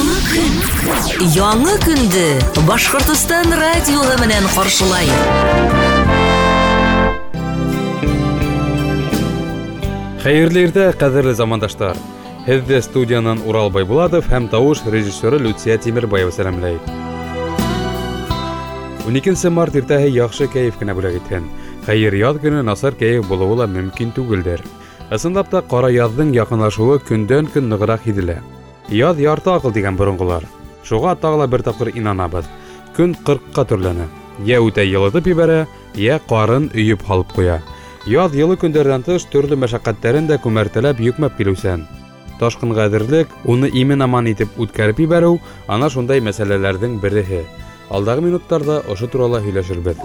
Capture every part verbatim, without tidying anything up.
Яңы көн. Яңы көндө Башҡортостан радиоһы менән ҡаршылай. Хәйерле иртә, ҡәҙерле замандаштар. Һеҙҙе студиянан Урал Байбулатов һәм тауыш режиссеры Люция Тимербаева сәләмләй. ун икенсе март иртәһе яҡшы кәйеф кенә бүләк итһен. Хәйер, яҙ көнө насар кәйеф булыуы ла мөмкин түгелдер. Ысынлап та ҡара яҙҙың яҡынлашыуы көндән-көн нығыраҡ һиҙелә. Яҙ ярты аҡыл тигән боронғолар. Шуға тағы ла бер тапҡыр инанабыҙ. Көн ҡырҡҡа төрләнә. Йә үтә йылытып ебәрә, йә ҡарын өйөп һалып ҡуя. Яҙ йылы көндәрҙән тыш төрлө мәшәҡәттәрен дә күмәртәләп йөкмәп килеүсән. Ташҡынға әҙерлек, уны имен-аман итеп үткәреп ебәреү ана шундай мәсьәләләрҙең береһе. Алдағы минуттарҙа ошо турала һөйләшербеҙ.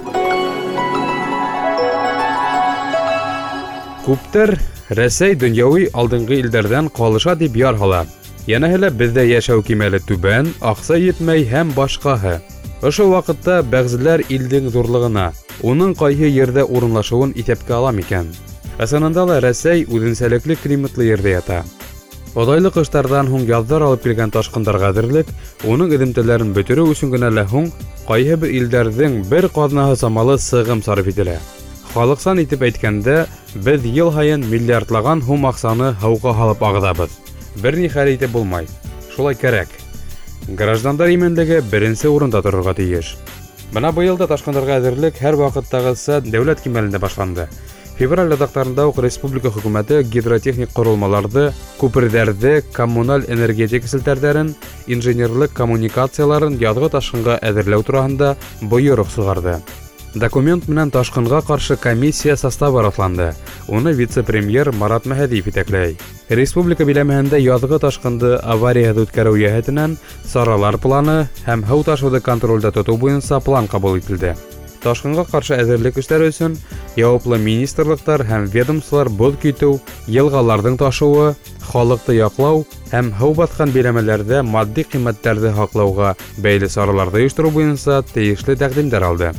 Күптәр Рәсәй донъяуи алдынғы илдәрҙән ҡалыша тип яр һала. Йәнәһе лә беҙҙә йәшәү кимәле түбән, аҡса етмәй һәм башҡаһы. Ошо ваҡытта бәғзеләр илдең ҙурлығына, уның ҡайһы ерҙә урынлашыуын иҫәпкә ала микән? Ысынында ла Рәсәй үҙенсәлекле климатлы ерҙә ята. Оҙайлы ҡыштарҙан һуң яҙҙар алып килгән ташҡындарға әҙерлек, уның эҙемтәләрен бөтөрөү өсөн генә лә һуң ҡайһы бер илдәрҙең бер ҡаҙнаһы самалы сығым сарыф ителә. Халыҡсан итеп әйткәндә, беҙ йыл һайын миллиардлаған һум аҡсаны һыуға һалып ағыҙабыҙ. Бер ни хәл итеп булмай. Шулай кәрәк. Граждандар именлеге беренсе урында торорға тейеш. Бына быйыл да ташҡындарға әҙерлек һәр ваҡыттағыса дәүләт кимәлендә башланды. Февраль аҙаҡтарында уҡ республика хөкүмәте гидротехник ҡоролмаларҙы, күперҙәрҙе, коммуналь энергетика селтәрҙәрен, инженерлыҡ коммуникацияларын яҙғы ташҡынға әҙерләү тураһында бойороҡ сығарҙы. Документ менән ташҡынға ҡаршы комиссия составы раҫланды. Уны вице-премьер Марат Мәһәдиев етәкләй. Республика биләмәһендә яҙғы ташҡынды аварияһыҙ үткәреү йәһәтенән саралар планы һәм һыу ташыуҙы контролдә тотоу буйынса план ҡабул ителде. Ташҡынға ҡаршы әҙерлек эштәре өсөн яуаплы министрлыҡтар һәм ведомстволар боҙ китеү, йылғаларҙың ташыуы, халыҡты яҡлау һәм һыу баҫҡан биләмәләрҙә матди ҡиммәттәрҙе һаҡлауға бәйле сараларҙы ойоштороу буйынса тейешле тәҡдимдәр алды.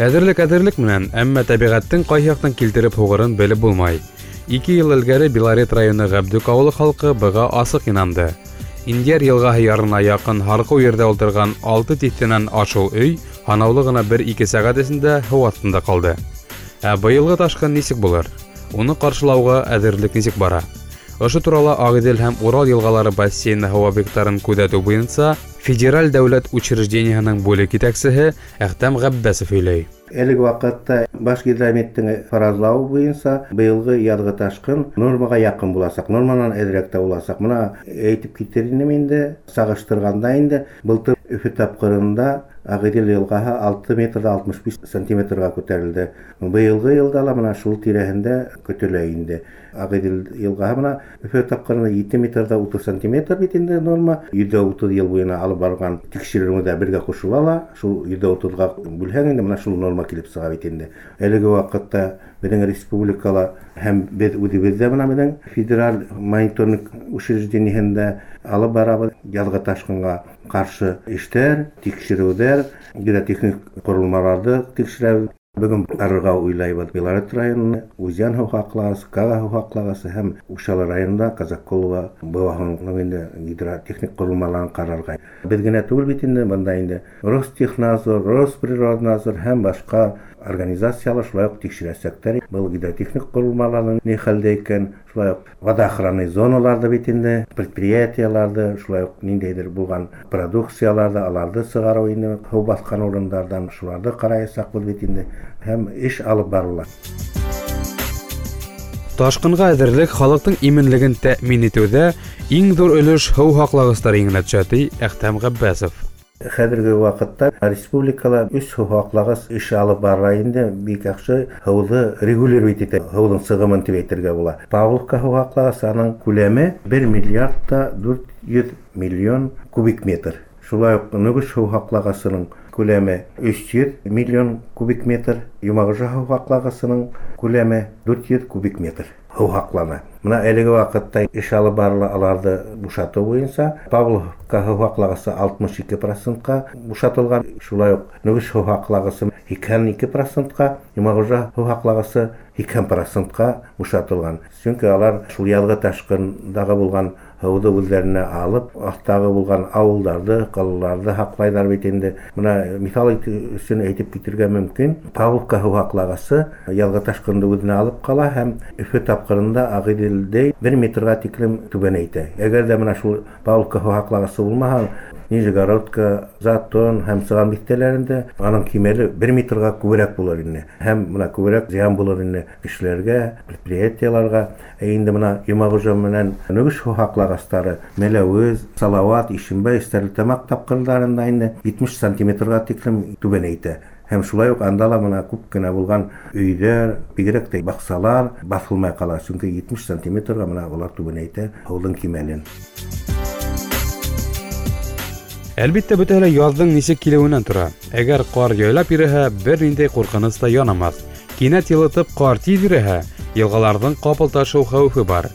Әҙерлек әҙерлек менән, әммә тәбиғәттең ҡайһы яҡтан килтереп һуғырын белеп булмай. Ике йыл элгәре Белорет районы Ғәбдүк ауылы халҡы быға асыҡ инанды. Индияр йылғаһы ярына яҡын һарҡыу ерҙә ултырған алты тиҫтәнән ашыу өй һанаулы ғына бер-ике сәғәт эсендә һыу аҫтында ҡалды. Ә быйылғы ташҡын нисек булыр? Уны ҡаршылауға әҙерлек нисек бара? Ошо турала Ағиҙел һәм Урал йылғалары бассейны һыу объекттарын күҙәтеү буйынса Федераль дәүләт учреждениеһының бүлек етәксеһе Әхтәм Ғәббәсов һөйләй. Әлеге ваҡытта баш гидрометтең фаразлауы буйынса быйылғы яҙғы ташҡын нормаға яҡын буласаҡ, норманан әҙерәк тә буласаҡ. Бына әйтеп китер инем инде, сағыштырғанда инде былтыр Өфө тапҡырында Ағиҙел йылғаһы алты метр алтмыш биш сантиметрға күтәрелде. Быйылғы йылда ла бына шул тирәһендә көтөлә инде. Ағиҙел йылғаһы бына Өфө тапҡырында ете метр утыҙ сантиметр бит инде норма. Йөҙҙә утыҙ йыл буйына алып барған тикшеренеүҙә бергә ҡушыла ла, шул йөҙҙә утыҙға бүлһәң инде бына шул норма килеп сыға бит инде. Әлеге ваҡытта беҙҙең республикала һәм беҙ үҙебеҙ ҙә бына беҙҙең федераль мониторинг учреждениеһендә алып барабыҙ яҙғы ташҡынға ҡаршы эштәр, тикшереүҙәр, гидротехник ҡоролмаларҙы тикшерәбеҙ. Бөгөн барырға уйлайбыҙ Белорет районына, Узян һыу һаҡлағысы, Кага һыу һаҡлағысы һәм Учалы районында Казаколова быуаһының инде гидротехник ҡоролмаларын ҡарарға. Беҙ генә түгел бит инде, бында инде Ростехнадзор, Росприроднадзор һәм башҡа организациялар шулай уҡ тикшерәсәктәр. Был гидротехник ҡоролмаларҙың ни хәлдә икән, шулай уҡ водоохранный зоналарҙы бит инде, предприятияларҙы, шулай уҡ ниндәйҙер булған продукцияларҙы, аларҙы сығарыу инде һыу баҫҡан урындарҙан шуларҙы ҡараясаҡбыҙ бит инде һәм эш алып барыла. Ташҡынға әҙерлек халыҡтың именлеген тәьмин итеүҙә иң ҙур өлөш һыу һаҡлағыстар иңенә төшә, ти Әхтәм Ғәббәсов. Хәҙерге ваҡытта республикала өс һыу һаҡлағыс эш алып бара инде, бик яҡшы һыуҙы регулировать итә, һыуҙың сығымын тип әйтергә була. Павловка һыу һаҡлағысы аның күләме бер миллиард та дүрт йөҙ миллион кубик метр. Шулай уҡ Нөгөш һыу һаҡлағысының күләме өс йөҙ миллион кубик метр, Йомағужа һыу һаҡлағысының күләме дүрт йөҙ кубик метр һыу һаҡлана. Мына әлеге ваҡытта эш алып барыла аларҙы бушатыу буйынса. Павловка һыу һаҡлағысы алтмыш ике процентҡа бушатылған, шулай уҡ Нөгөш һыу һаҡлағысы һикһән ике процентҡа, Йомағужа һыу һаҡлағысы һикһән процентҡа бушатылған. Сөнки алар шул яҙғы ташҡындағы булған һыуҙы үҙҙәренә алып, аҫтағы булған ауылдарҙы, ҡалаларҙы һаҡлайҙар бит инде. Мына миҫал өсөн әйтеп китергә мөмкин, Павловка һыу һаҡлағысы яҙғы ташҡынды үҙенә алып ҡала һәм Өфө тапҡырында Ағиҙелдәй бер метрға тиклем түбәнәйтә. Әгәр ҙә мына шул Павловка һыу һаҡлағысы булмаһа, Нижегородка, Затон һәм Сыған биҫтәләрендә аның кимәле бер метрға күберәк булыр ине. Һәм мына күберәк зыян булыр ине кешеләргә, предприятиеларга. Ә инде мына Йомағужа менән Нөгөш һыу һаҡлағыстары Мәләүез, Салауат, Ишембай, Стәрлетамаҡ тапҡырҙарында инде етмеш сантиметрға тиклем түбәнәйтә. Һәм шулай уҡ анда ла мына күп кенә булған өйҙәр, бигерәк тә баҡсалар баҫылмай ҡала, сөнки етмеш сантиметрға мына улар түбәнәйтә һыуҙың кимәлен. Әлбиттә, бөтәһе лә яҙҙың нисек килеүенән тора. Әгәр ҡар яйлап иреһә, бер ниндәй ҡурҡыныс та янамаҫ. Кинәт йылытып ҡар тиҙ иреһә, йылғаларҙың ҡапыл ташыу хәүефе бар.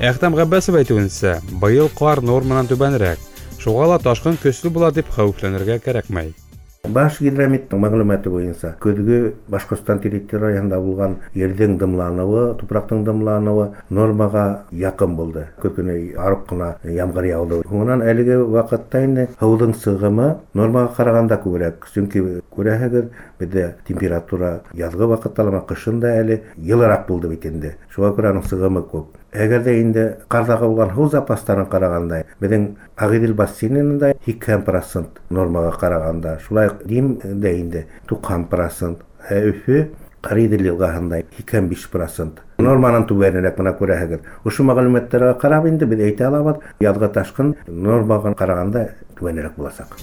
Әхтәм Ғәббәсов әйтеүенсә, быйыл ҡар норманан түбәнерәк. Шуға ла ташҡын көслө була тип хәүефләнергә кәрәкмәй. Баш гидрометтың мәғлүмәте буйынса, көҙгө Башҡортостан территорияһында булған ерҙең дымланыуы, тупраҡтың дымланыуы нормаға яҡын булды. Көҙ көнө арып ҡына ямғыр яуҙы. Һуңынан әлеге ваҡытта инде һыуҙың сығымы нормаға ҡарағанда күберәк. Сөнки күрәһегеҙ, беҙҙә температура яҙғы ваҡытта ла, ҡышын да әле йылыраҡ булды бит инде. Шуға күрә аның сығымы күп. Әгәр ҙә инде ҡарҙағы булған һыу запастарын ҡарағанда, беҙҙең Ағиҙел бассейнында һикһән процент нормаға ҡарағанда, шулай уҡ Димдә инде туҡһан процент, ә Өфө Ҡариҙел йылғаһында һикһән биш процент. Норманан түбәнерәк мына күрәһегеҙ. Ошо мәғлүмәттәргә ҡарап инде беҙ әйтә алабыҙ, яҙғы ташҡын нормаға ҡарағанда түбәнерәк буласаҡ.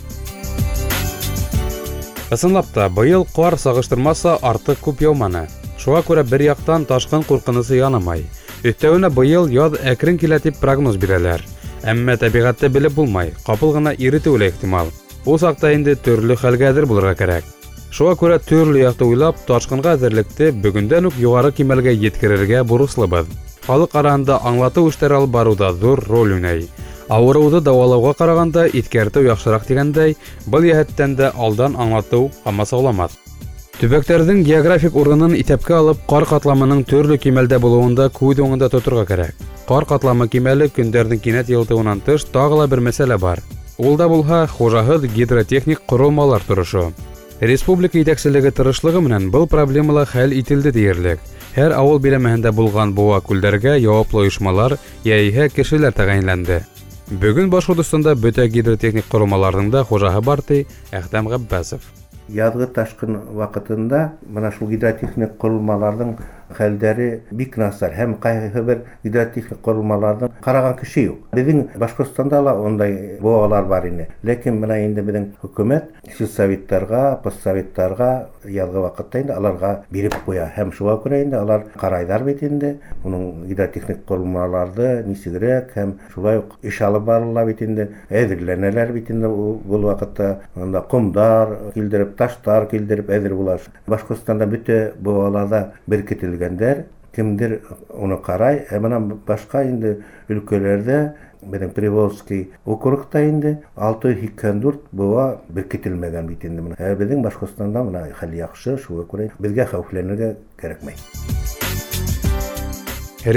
Ысынлап та, быйыл ҡар сағыштырмаса артыҡ күп яуманы. Шуға күрә бер яҡтан ташҡын ҡурҡынысы янамай. Өҫтәүенә быйыл яҙ әкрен килә тип прогноз бирәләр. Әммә тәбиғәтте белеп булмай, ҡапыл ғына иретеүе лә ихтимал. Ул саҡта инде төрлө хәлгә әҙер булырға кәрәк. Шуға күрә төрлө яҡты уйлап, ташҡынға әҙерлекте бөгөндән үк юғары кимәлгә еткерергә бурыслыбыҙ. Халыҡ араһында аңлатыу эштәре алып барыуҙа ҙур роль уйнай. Ауырыуҙы дауалауға ҡарағанда иҫкәртеү яҡшыраҡ тигәндәй, был йәһәттән дә алдан аңлатыу ҡамасауламаҫ. Төбәктәрҙең географик урынын иҫәпкә алып, ҡар ҡатламының төрлө кимәлдә булыуын да күҙ уңында тоторға кәрәк. Ҡар ҡатламы кимәле көндәрҙең кинәт йылытыуынан тыш тағы ла бер мәсьәлә бар. Ул да булһа хужаһыҙ гидротехник ҡоролмалар торошо. Республика етәкселеге тырышлығы менән был проблема ла хәл ителде тиерлек. Һәр ауыл биләмәһендә булған быуа күлдәргә яуаплы ойошмалар йәиһә кешеләр тәғәйенләнде. Бөгөн Башҡортостанда бөтә гидротехник ҡоролмаларҙың да хужаһы бар, ти Әхтәм Ғәббәсов. Яҙғы ташҡын ваҡытында мына шул гидротехник ҡоролмаларҙың хәлдәре бик насар, һәм ҡайһы бер гидротехник ҡоролмаларҙың ҡараған кеше юҡ. Беҙҙең Башҡортостанда ла ундай быуалар бар ине. Ләкин мына инде беҙҙең хөкүмәт сельсоветтарға, поссоветтарға яҙғы ваҡытта инде аларға биреп ҡуя, һәм шуға күрә инде алар ҡарайҙар бит инде уның гидротехник ҡоролмаларҙы нисегерәк, һәм шулай уҡ эш алып барыла бит инде, әҙерләнәләр бит инде был ваҡытта, унда ҡомдар килдереп, таштар килдереп әҙер була. Башҡортостанда бөтә быуаларҙа беркетелгәндәр, кемдер уны ҡарай, ә мына башҡа инде өлкәләрҙә, беҙҙең Приволжский округта инде алты йөҙ һикһән дүрт быуа беркетелмәгән бит инде. Ә беҙҙең Башҡортостанда мына хәл яҡшы, шуға күрә беҙгә хәүефләнергә кәрәкмәй.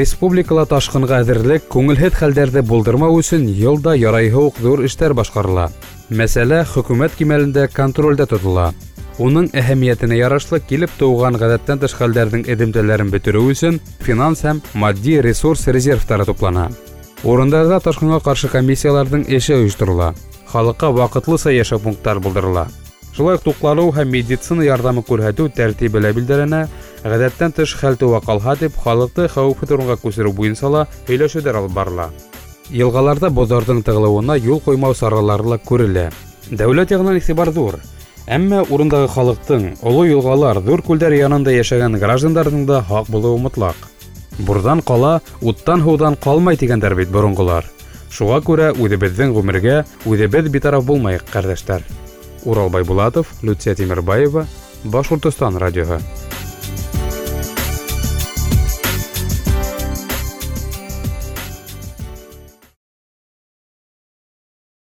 Республикала ташҡынға әҙерлек, күңелһеҙ хәлдәрҙе булдырмау өсөн йыл да ярайһы уҡ ҙур эштәр башҡарыла. Мәсьәлә хөкүмәт кимәлендә контролдә тотола. Уның әһәмиәтенә ярашлы килеп тыуған ғәҙәттән тыш хәлдәрҙең эҙемтәләрен бөтөрөү өсөн финанс һәм матди ресурс резервтары туплана. Урындарҙа ташҡынға ҡаршы комиссияларҙың эше ойошторола. Халыҡҡа ваҡытлыса йәшәү пункттары булдырыла. Шулай уҡ туҡланыу һәм медицина ярҙамы күрһәтеү тәртибе лә билдәләнә. Ғәҙәттән тыш хәл тыуа ҡалһа тип халыҡты хәүефһеҙ урынға күсереү буйынса ла һөйләшеүҙәр алып барыла. Йылғаларҙа боҙҙарҙың тығылыуына юл ҡуймау саралары ла күрелә. Дәүләт яғынан иғтибар ҙур. Әммә урындағы халыҡтың, оло йылғалар, ҙур күлдәр янында йәшәгән граждандарҙың да һаҡ булыуы мотлаҡ. Бурҙан ҡала, уттан һыуҙан ҡалмай тигәндәр бит боронғолар. Шуға күрә үҙебеҙҙең ғүмергә үҙебеҙ битараф булмайыҡ, ҡәрҙәштәр. Урал Байбулатов, Люция Тимербаева, Башҡортостан радиоһы.